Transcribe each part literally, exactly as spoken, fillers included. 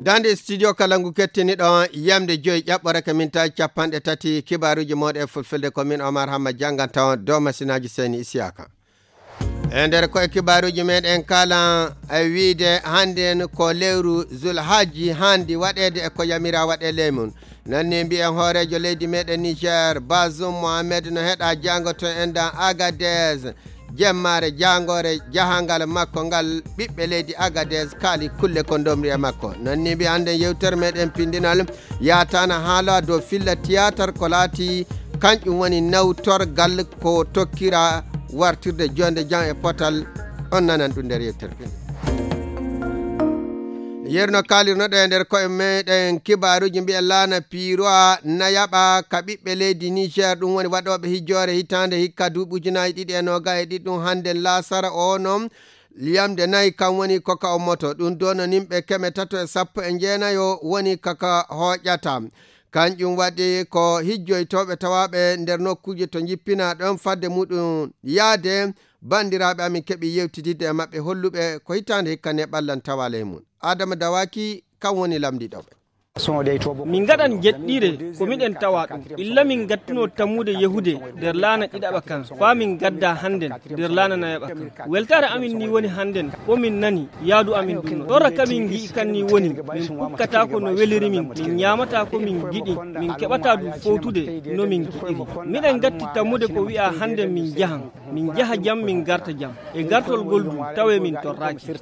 Dande studio kala ngu kettiniɗo yamde joyi ƴaɓɓore ka mintaji capanɗe tati, kibaruji moɗe e fulfulde ko min Omar Hamma janganta on dow masinaaji Seyni Isiyaka. E nder koye kibaruji meɗen kala e wiide hande en ko lewru Zulhaji handi waɗede e ko yamira waɗe ley mum. Nanni mbiyen hooreejo leydi meɗen Niger, Bazoum Mohamed no heɗa jango to endan Agadez. Jemmaare jangore jahangal makko ngal ɓiɓɓe leydi Agadez kaali kulle ko ndomri e makko. Nanni mbiyen hande yewtere meɗen pindinal yatana haala dow filla théâtre ko laati kanƴum woni nawtorgal ko tokkira wartirde jonde jam e potal. On nanan ɗum nder yewtere pindinal. Yerno kalirnoɗo e nder koye meɗen kibaruji mbiya laana piiroa nayaɓa ka ɓiɓɓe leydi Niger, ɗum woni waɗoɓe hijjoore hitande hikka duuɓi ujunaji ɗiɗi e noga e ɗiɗi ɗum hande laasara o noon. Yamde nayi kam woni ko ka ummoto ɗum dono nimɓe keme tato e sappo e jeenayo woni kaka hooƴata. Kanƴum waɗi ko hijjoytooɓe tawaaɓe nder nokkuuje to njippinaa ɗon fadde muɗum yaade. Banndiraaɓe amin keɓi yewtididde e maɓɓe holluɓe ko hitaande hikka ne ɓallan tawaale e mum. Adama Dawaki kam woni lamndiɗo ɓe. Min ngaɗan jeɗɗire ko miɗen tawa ɗum. Illa min ngattuno tammude yehude nder laana ɗiɗaɓa kan, faa min ngadda hannden nder laana nayaɓa kan. Weltaare amin ni woni hannden ko min nani yaadu amin ɗum. Torra ka min ngi'i kan ni woni min pukkataako no weliri min, min nyaamataa ko min ngiɗi, min keɓataa du fowtude no min ngiɗiri. Miɗen ngatti tammude ko wi'a hannden min njahan. Min njaha jam, min ngarta jam. E gartol ngol du, tawe min torraaki.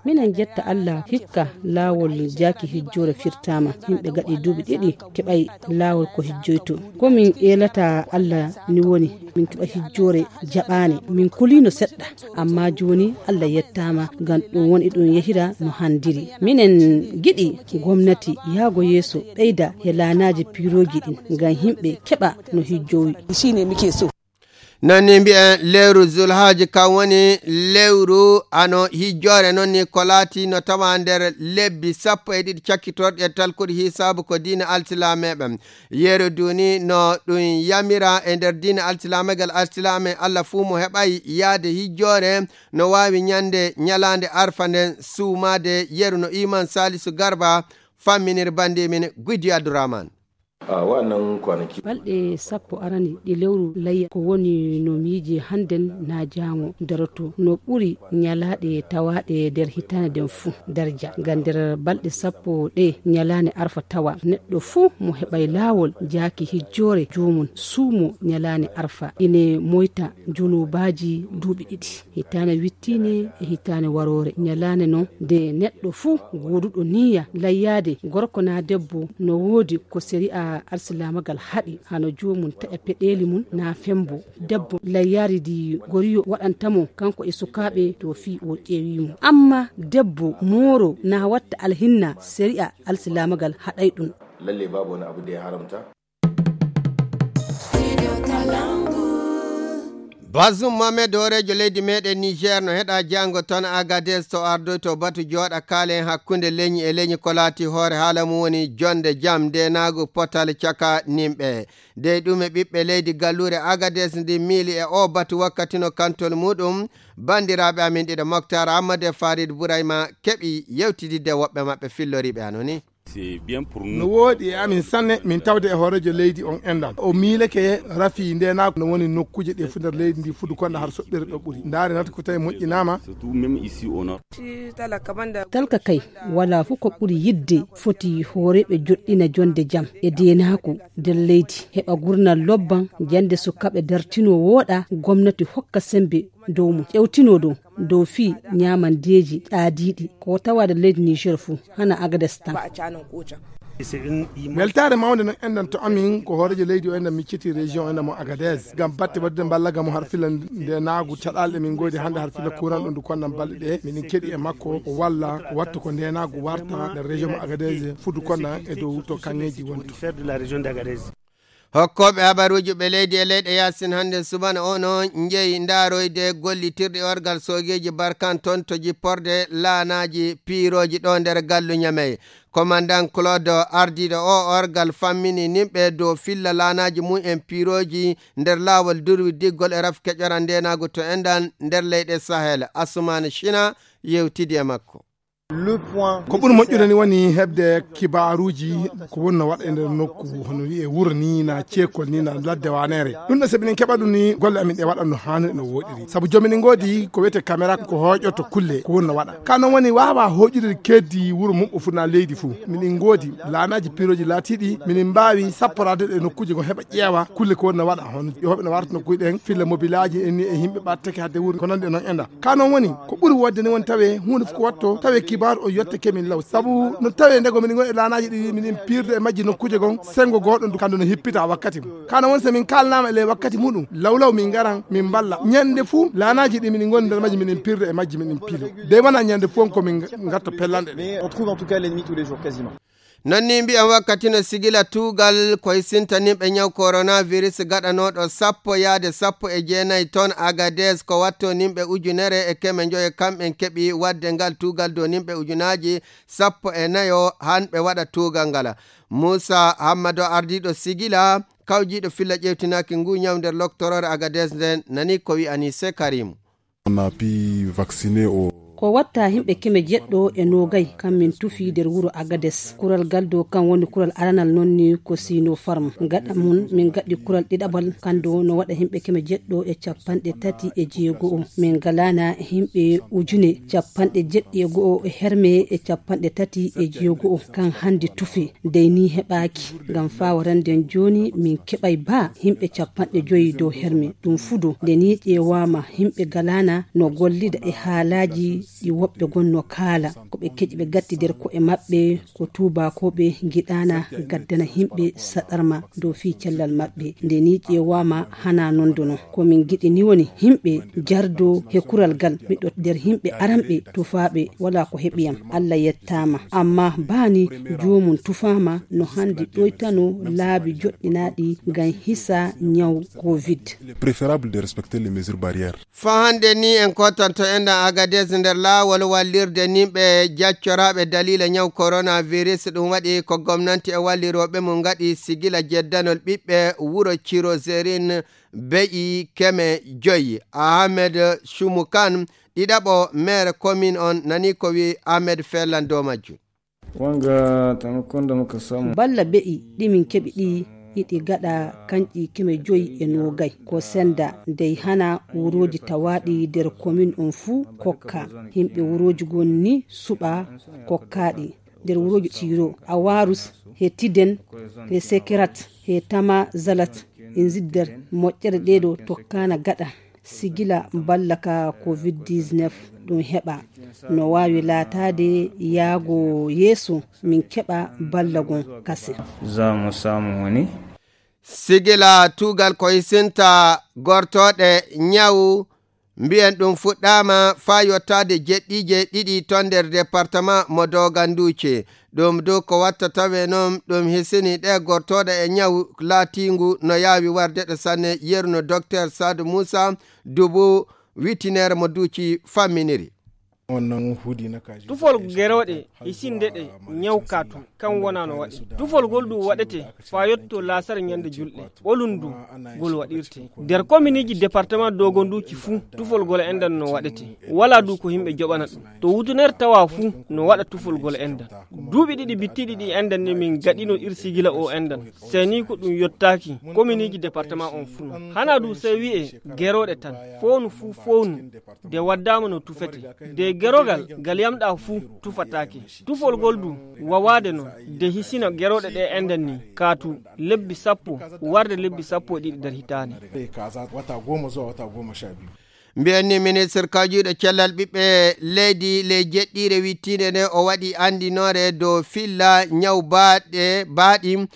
Minen jetta Allah, hikka laawol jaaki hijjoore firtaama. Yimɓe gaɗi duuɓi ɗiɗi, keɓay laawol ko hijjoyto. Ko min eelata Allah ni woni, min keɓa hijjoore jaɓaane. Min kuliino seɗɗa, amma jooni Allah yettaama, ngam ɗum woni ɗum yehira no handiri. Minen giɗi gomnati yaago yeeso ɓeyda he laanaaji piirooji ɗin, ngam yimɓe keɓa no hijjowi. Nanni mbi'en lewru Zulhaaji kan woni lewru ano hijjoore non ni ko laati no tawa nder lebbi sappo e ɗiɗi cakkitorɗi e talkuɗi hisaabu ko diina alsilameɓe. Yeru duni no ɗum yamira e nder diina alsilamegal alsilame Allah fuu mo heɓay yaade hijjoore no waawi ñande ñalaande arfa nden suumaade yeru no iman Salisu Garba famminir bandi min Guydi Abdurrahman. A wa'annan kwanaki. Balɗe sappo arani ɗi lewru layya ko woni no miiji hannden na jaango daroto no ɓuri ñalaaɗe tawaaɗe nder hitaande nden fuu darja. Ngam nder balɗe sappo ɗe ñalaande arfa tawa neɗɗo fuu mo heɓay laawol jaaki hijjoore joomum suumo ñalaande arfa ine moyta junubaaji duuɓi ɗiɗi. Hitaane wittiine e hitaane waroore. Ñalaande non nde neɗɗo fuu gooduɗo niyya layyaade gorko naa debbo no woodi ko sari'a alsilaamagal haɗi hano joomum taƴa peɗeeli mum naa fembo. Debbo layyaari ndi goriyo waɗanta mo kanko e sukaaɓe to fii o ƴeewii mo. Amma debbo mooro naa watta alhinna sari'a alsilaamagal haɗay ɗum. Lalle babu wani abu da ya haramta. Bazum Mohamed hooreejo leydi meɗen Niger no heɗa jango ton Agadez to ardoyto batu jooɗa kaalen hakkunde leñi e leñi ko laati hoore haala mum woni jonde jam ndenaagu potal caka nimɓe. Dey ɗum e ɓiɓɓe leydi galluure Agadez ndi miili e o batu wakkati no kantol muɗum. Banndiraaɓe amin ɗiɗo Moktar Ammadu e Farid Burayma keɓi yewtididde woɓɓe maɓɓe filloriiɓe hano ni. No wooɗi e amin sanne min tawde e hooreejo leydi on enɗan. O miileke rafi ndenaagu no woni nokkuuje ɗe fuu nder leydi ndi fudu konda har soɓɓere ɗo ɓuri. Ndaare nata ko tawi moƴƴinaama. Talka kay, wala fuu ko ɓuri yidde foti hooreeɓe joɗɗina jonde jam e denaaku nder leydi. Heɓa gurnal lobban, jande sukaaɓe dartino wooɗa, gomnati hokka sembe dow mum. Ƴewtino dow dow fii ñaamandeeji ɗaadiiɗi ko tawaade leydi Niger fuu, hana Agades tan. Weltaare mawnde non enɗan to amin ko hooreejo leydi o enɗan micciti région enɗan mo Agadez ngam batte waɗude mballaga mo har filla ndenaagu caɗaale ɗe min ngoodi hannde har filla kuuran ɗo ndu konnan balɗe ɗe miɗen keɗi e makko o walla o wattu ko ndenaagu warta nder région mo Agadez fudu konnan e dow to kaŋŋeeji wonto. Hokkooɓe habaruuji ɓe leydi e leyɗe yaasin hannde subana o no njeyi ndaaroyde gollitirɗe orgal soogeeji Barkan toon to jipporde laanaaji piirooji ɗo nder gallu Ñamey. Komandan Claude ardiiɗo o orgal fammini nimɓe dow filla laanaaji mum en piirooji nder laawol durwi diggol e rafi keƴora ndeenaagu to enɗan nder leyɗe Sahel. Asumaana Cina yewtidi e makko. Ko ɓuri moƴƴude ni woni heɓde kibaaruuji ko woni no waɗa e nder nokku, hono wiyee wuro ni, na ceekol ni, na ladde waneere. Ɗum ɗo, so minen keɓa ɗum ni, golle amin ɗe waɗa no haaniri, no wooɗiri. Sabu jooni minen ngoodi ko wiyetee caméra, ko hooƴoto kulle ko woni no waɗa. Ka noon woni waawaa hooƴude keeddi wuro mum o fuu, na leydi fuu. Minen ngoodi laanaaji pirooji laatiiɗi, minen mbaawi sapporaade ɗe nokkuuje goo, heɓa ƴeewa kulle ko woni no waɗa, hono yooɓe no warta nokkuuje ɗen, filla mobilaaji en ni e yimɓe ɓattake hadde wuuro, ko nanndi e noon enda. Ka noon woni, ko ɓuri woodde ni woni tawee huunde fof ko waɗto, tawee kibaaru o yottake min law. Sabu no tawee ndego minen ngoni e laanaaji ɗi, minen piirde e majji nokkuuje goo, senngo gooɗo ndu, kandu no hippita wakkati mum. Ka noon woni, so min kaalnaama e ley wakkati muɗum, law law min ngaran, min mballa. Ñande fof, laanaaji ɗi minen ngoni nder majji, minen piirde e majji, minen piilo. De wonaa ñande fof ko min ngatto pellanɗe ɗe. Mais on trouve en tout cas l'ennemi tous les jours, quasiment. Non ni mbiyan wakkati no sigila tuugal koye sintaninɓe ñaw coronavirus gaɗanooɗo sappo yaade sappo e jeenayi ton Agadez, ko watto nimɓe ujunere e keme njoyo kamɓen keɓi waɗde ngal tuugal dow nimɓe ujunaaji sappo e nayo han ɓe waɗa tuugal ngal. Muusa Hammado, ardiiɗo sigila kawjiiɗo filla ƴeewtinaaki ngu ñaw nder loktoroore Agadez nden, nani ko wi'ani se Karimu. On a pu vacciné au Ko watta himɓe keme jeɗɗo e noogay kan min tufi nder wuro Agades. Kural gal dow kan woni kural aranal non ni ko Sinopharm. Gaɗa mun min gaɗi kural ɗiɗaɓal kan dow no waɗa himɓe keme jeɗɗo e capanɗe tati e jeego o. Min galana himɓe ujune capanɗe jeɗɗi e go'o e herme e capanɗe tati e jeego o kan hande tufe. Dey ni heɓaaki, ngam faa warande jooni min keɓay baa himɓe capanɗe joyi dow herme. Ɗum fuu dow nde ni ƴeewaama, himɓe galaana no gollida e haalaaji ɗi woɓɓe gon no kaala. Ko ɓe keƴi ɓe gatti nder ko'e maɓɓe, ko tuubaakooɓe ngiɗaana gaddana himɓe saɗarma dow fii cellal maɓɓe. Nde ni ƴeewaama, hanaa non dono. Ko min ngiɗi ni woni himɓe jardo he kural gal. Miɗo nder himɓe aranɓe tufaaɓe, walaa ko heɓi yam. Allah yettaama. Amma baa ni joomum tufaama no handi ɗoytano laabi joɗɗinaaɗi ngam hisa ñaw covid. Il est préférable de respecter les mesures barrières. Faa hannde ni en kootanto enɗan Agadez nder laawol wallirde nimɓe jaccoraaɓe daliila ñaw coronavirus. Ɗum waɗi ko gomnanti e wallirooɓe mum ngaɗi sigila jeddanol ɓiɓɓe wuro Cirozerin be'i keme joyi. Ahmed Shumukan, ɗiɗaɓo maire commune on, nani ko wi Ahmed Fellan dow majjum. Wanga taimakon da muka samu. Balla be'i ɗi min keɓi ɗi, iɗi gaɗa kanƴi keme joyi e noogay. Ko senda dey hana wurooji tawaaɗi nder commune on fuu kokka. Himɓe wurooji gon ni suɓa kokkaaɗi. Nder wurooji Tiro, Awarus, he Tiden, he Sekerat, he Tama Zalat, e Zidder, moƴƴere ɗeeɗo tokkaana gaɗa. Sigila balla ka covid dix-neuf ɗum heɓa. No waawi laataade yaago yeeso min keɓa balla gon kase. Za mu samu wani. Sigila tuugal ko hisinta gortooɗe ñawu, mbiyen ɗum fuɗɗaama faa yottaade jeɗɗiije ɗiɗi ton nder departement mo Doganduuci. Ɗum du ko watta tawe noon ɗum hisini ɗe gortooɗe e ñawu laatiingu no yaawi warde ɗe sanne, yeru no Docteur Saadu Muusa Dubu, witinere mo Duuci famminiri. Tufol gerooɗe hisinde ɗe ñaw kaatu, kan wonaa no waɗi. Tufol ngol du waɗete faa yotto laasar ñande julɗe. Ɓolum du ngol waɗirte. Nder kominiiji departement Dogonduuci fuu, tufol ngol enɗan no waɗete. Walaa du ko yimɓe joɓana ɗum. To wutunere tawa fuu no waɗa tufol ngol enɗan. Duuɓi ɗiɗi bittiiɗi ɗi enɗan ni min gaɗino ir sigila o enɗan. Sey ni ko ɗum yottaaki kominiiji departement on fuu non. Hanaa du sey wi'e gerooɗe tan. Fownu fuu fownu. De waddaama no tufete. De gerogal ngal yamɗaa fuu tufataake. Tufol ngol du wawaade non. De hisina gerooɗe ɗe enɗan ni. Kaatu lebbi sappo, warde lebbi sappo e ɗiɗi nder hitaande. Mbiyen ni ministre kawjuuɗo cellal ɓiɓɓe leydi ley jeɗɗiire wittiinde nde o waɗi anndinoore dow filla ñaw baaɗe, baaɗi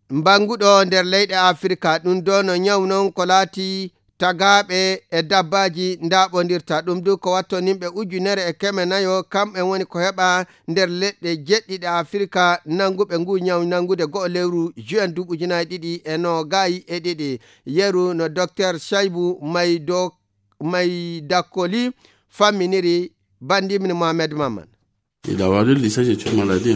mbannguɗo nder leyɗe Afirka. Ɗum do no ñaw non ko laati tagaaɓe e dabbaaji ndaaɓondirta. Ɗum du ko wattoninɓe ujunere e keme nayo, kamɓe woni ko heɓa nder leɗɗe jeɗɗiɗe Afirka nannguɓe ngu ñaw nanngude go'o lewru juin duuɓi ujunaaji ɗiɗi e noogay e ɗiɗi. Yeru no Docteur Shaibu Maido-, Maidakoli famminiri. Bandimni Mohamed Maman.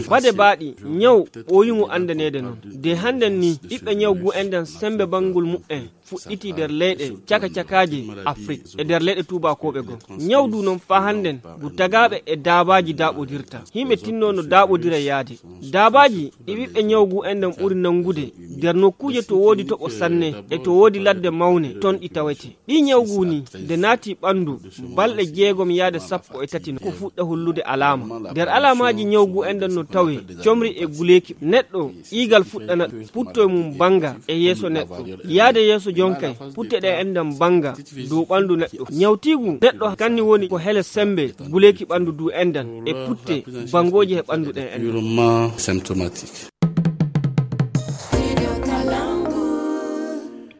Bade baaɗi, ñaw ɓooyungu anndaneede noon. De hannden ni, ɓiɓɓe ñaw gu enɗan semmbe banngol muɓɓen fuɗɗitii nder leyɗe caka-cakaaje Afrik e nder leyɗe tuubaakooɓe goo. Ñaw du noon faa hannden ngu tagaaɓe e daabaaji daaɓodirta. Yimɓe tinnoo no daaɓodira yaade. Daabaaji ɗi ɓiɓɓe ñaw gu enɗan ɓuri nanngude nder nokkuuje to woodi toɓo sanne e to woodi ladde mawne, toon ɗi tawetee. Ɗii ñaw gu ni, nde naati ɓanndu, balɗe jeegom yaade sappo e tati ko fuɗɗa hollude alaama. Nder alaamaaji ñaw gu enɗan no tawee comri e guleeki neɗɗo, ƴiigal fuɗɗana, puttoy mum bannga e yeeso neɗɗo. Yaade yeeso jonkay, putte ɗe enɗan bannga dow ɓanndu neɗɗo. Ñawtiigu neɗɗo kanni woni ko hele semmbe guleeki ɓanndu du enɗan e putte banngooji he ɓanndu ɗen enɗan.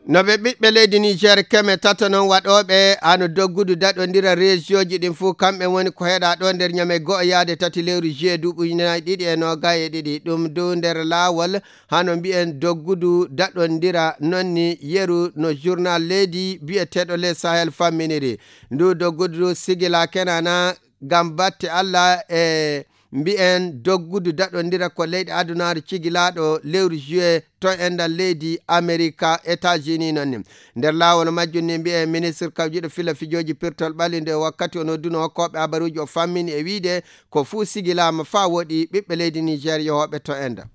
No ɓe ɓiɓɓe leydi Niger keme tato noon waɗooɓe hano doggudu daɗondira rejiyooji ɗin fuu, kamɓe woni ko heɗa ɗo nder ñame go'o yaade tati lewru juillet duuɓi ujunaaji ɗiɗi e noogay e ɗiɗi. Ɗum dow nder laawol hano mbi'en doggudu daɗondira noon ni yeru no journal leydi bi'eteeɗo Le Sahel famminiri. Ndu doggudu sigila kenana ngam batte Alla e mbi'en doggudu daɗondira ko leyɗe adunaaru cigilaaɗo lewru juillet to enɗan leydi Amerika, États-Unis noon ni. Nder laawol majjum ni mbi'en ministre kawjiɗo fila fijooji pirtol ɓalli nde wakkati o nodduno hokkooɓe habaruuji o fammini e wiide ko fuu sigilaama faa woɗi ɓiɓɓe leydi Niger yohooɓe to enɗan.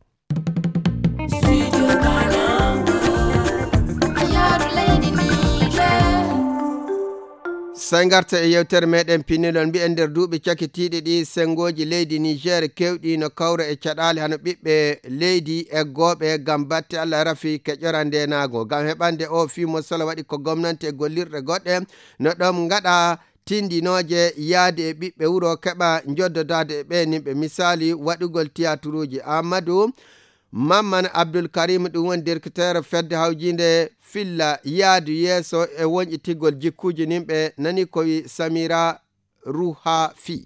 Sey ngarta e yewtere meɗen pinilol, mbi'en nder duuɓi cakitiiɗi ɗi, senngooji leydi Niger kewɗi no kawra e caɗaale hano ɓiɓɓe leydi eggooɓe ngam batte Alla rafi keƴora ndeenaago. Ngam heɓande o fii mo sala waɗi ko gomnante e gollirɗe goɗɗe no ɗon ngaɗa tindinooje yaade e ɓiɓɓe wuro keɓa njoddodaade e ɓe nimɓe. Misaali waɗugol tiyaturuuji. Amadou Mamman Abdul Karim, ɗum woni directeur fedde hawjiinde filla yaadu yeeso e wonƴitigol jikkuuji nimɓe, nani ko wi Samira Ruhafi.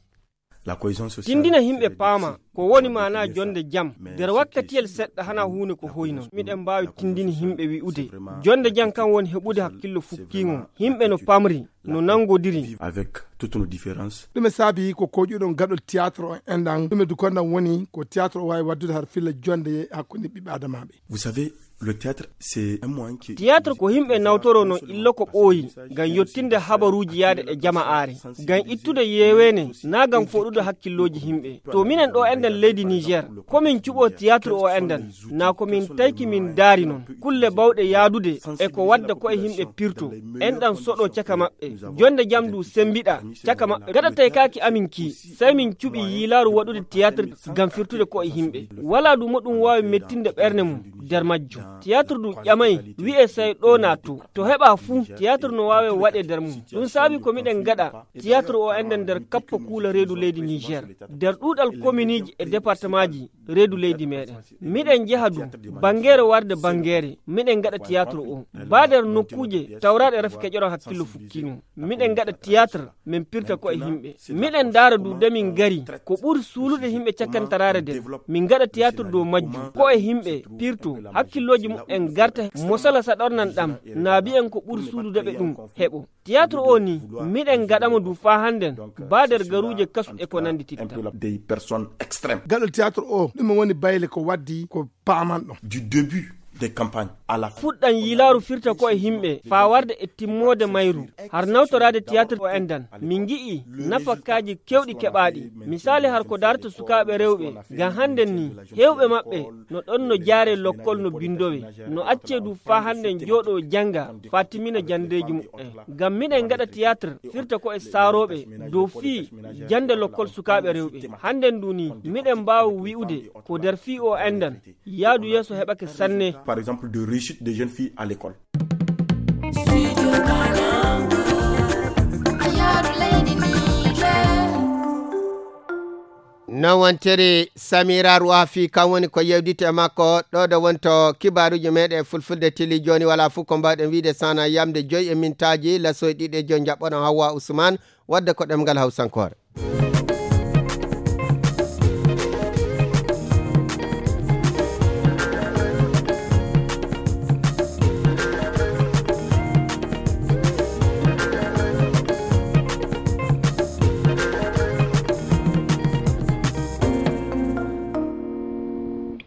Tindina yimɓe paama ko woni maanaa jonde jam nder wakkatiyel seɗɗa hana huunde ko hoy non. Miɗen mbaawi tindini yimɓe wi'ude jonde jam kan woni heɓude hakkillo fukkiingo. Yimɓe no pamri, no nangodiri. Avec toutes nos différences. Ɗume saabi ko koƴuɗon gaɗol théâtre o enɗan? Ɗume du konɗan woni ko théâtre o waawi waddude har filla jonde hakkunde ɓiɓɓe adamaaɓe? Vous savez, le théâtre, c'est un moyen qui... Théâtre ko yimɓe nawtoro non illo ko ɓooyi ngam yottinde habaruuji yaade e jama'aare, ngam ittude yeeweene, naa ngam fooɗude hakkillooji yimɓe. To minen ɗo enɗan leydi Niger, ko min cuɓo théâtre o enɗan, naa ko min tayki min daari non. Kulle bawɗe yaadude e ko wadda ko e yimɓe pirto, enɗan soɗo caka maɓɓe. Jonde jam du sembiɗa caka maɓɓe. Gaɗa taykaaki amin ki, sey min cuɓi yiilaaru waɗude théâtre ngam firtude ko e yimɓe. Walaa du mo ɗum waawi mettinde ɓernde mum nder majjum. Théâtre du ƴamay, wi'e sey ɗo naatto. To heɓa fuu, théâtre no waawe waɗe nder mum. Ɗum saabi ko miɗen gaɗa théâtre o enɗan nder kappo kuula reedu leydi Niger, nder ɗuuɗal kominiiji e départemaaji reedu leydi meɗen. Miɗen jeha du banngeere warde banngeere, miɗen gaɗa théâtre o. Baa nder nokkuuje tawraaɗe rafi keƴoron hakkillo fukkiingo. Miɗen gaɗa théâtre, min pirta ko e yimɓe. Miɗen ndaara du de min ngari ko ɓuri suulude yimɓe cakkantaraare nden. Min gaɗa théâtre dow majjum, ko e yimɓe pirto, hakkillooji muɓɓen garta, mosala saɗornan ɗam, naa mbi'en ko ɓuri suulude ɓe ɗum heɓo. Théâtre o ni, miɗen gaɗa mo du faa hannden, baa nder garuuje kasu e ko nanndititta. Des personnes extrêmes. Gaɗol théâtre o, ɗume woni bayle ko waddi ko paamanɗon? Du début des campagnes à la fin. Fuɗɗan yiilaaru firta ko e yimɓe, faa warde e timmoode mayru. Har nawtoraade théâtre o enɗan, min ngi'i nafakaaji keewɗi keɓaaɗi. Misaali har ko darta sukaaɓe rewɓe, ngam hannden ni, heewɓe maɓɓe no ɗon no jaare lokkol no binndowee, no accee du faa hannden jooɗoo jannga faa timmina janndeeji muɓɓen. Ngam miɗen ngaɗa théâtre firta ko e saarooɓe dow fii jannde lokkol sukaaɓe rewɓe. Hannden du ni, miɗen mbaawa wi'ude ko nder fii o enɗan, yaadu yeeso heɓake sanne. Par exemple, de réussite des jeunes filles à l'école. Non wontiri Samira Ruwafi, kan woni ko yewditi e makko ɗo ɗo wonto kibaaruuji meɗen e fulfulde tili. Jooni walaa fof ko mbaawɗen wiide sana yamde joyi e mintaaji lasoy ɗiɗi e joyi, njaɓɓoɗon Hawwa Usman wadde ko ɗemngal Hawsankoore.